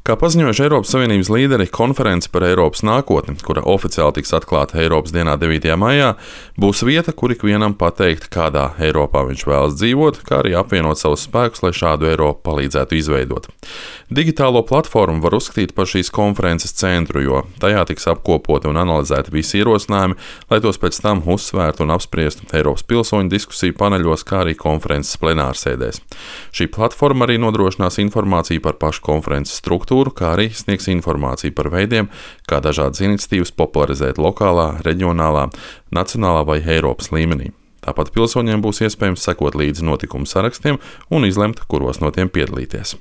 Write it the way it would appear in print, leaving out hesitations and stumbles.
Kā paziņojuši Eiropas Savienības līderi, konference par Eiropas nākotni, kura oficiāli tiks atklāta Eiropas dienā 9. maijā, būs vieta, kur ikvienam pateikt, kādā Eiropā viņš vēlas dzīvot, kā arī apvienot savus spēkus, lai šādu Eiropu palīdzētu izveidot. Digitālo platformu var uzskatīt par šīs konferences centru, jo tajā tiks apkopoti un analizēti visi ierosinājumi, lai tos pēc tam uzsvērtu un apspriestu Eiropas pilsoņu diskusiju paneļos, kā arī konferences plenārsēdēs. Šī platforma arī nodrošinās informāciju par pašu konferences struktūru, kā arī sniegs informāciju par veidiem, kā dažādas iniciatīvas popularizēt lokālā, reģionālā, nacionālā vai Eiropas līmenī. Tāpat pilsoņiem būs iespējams sekot līdzi notikumu sarakstiem un izlemt, kuros no tiem piedalīties.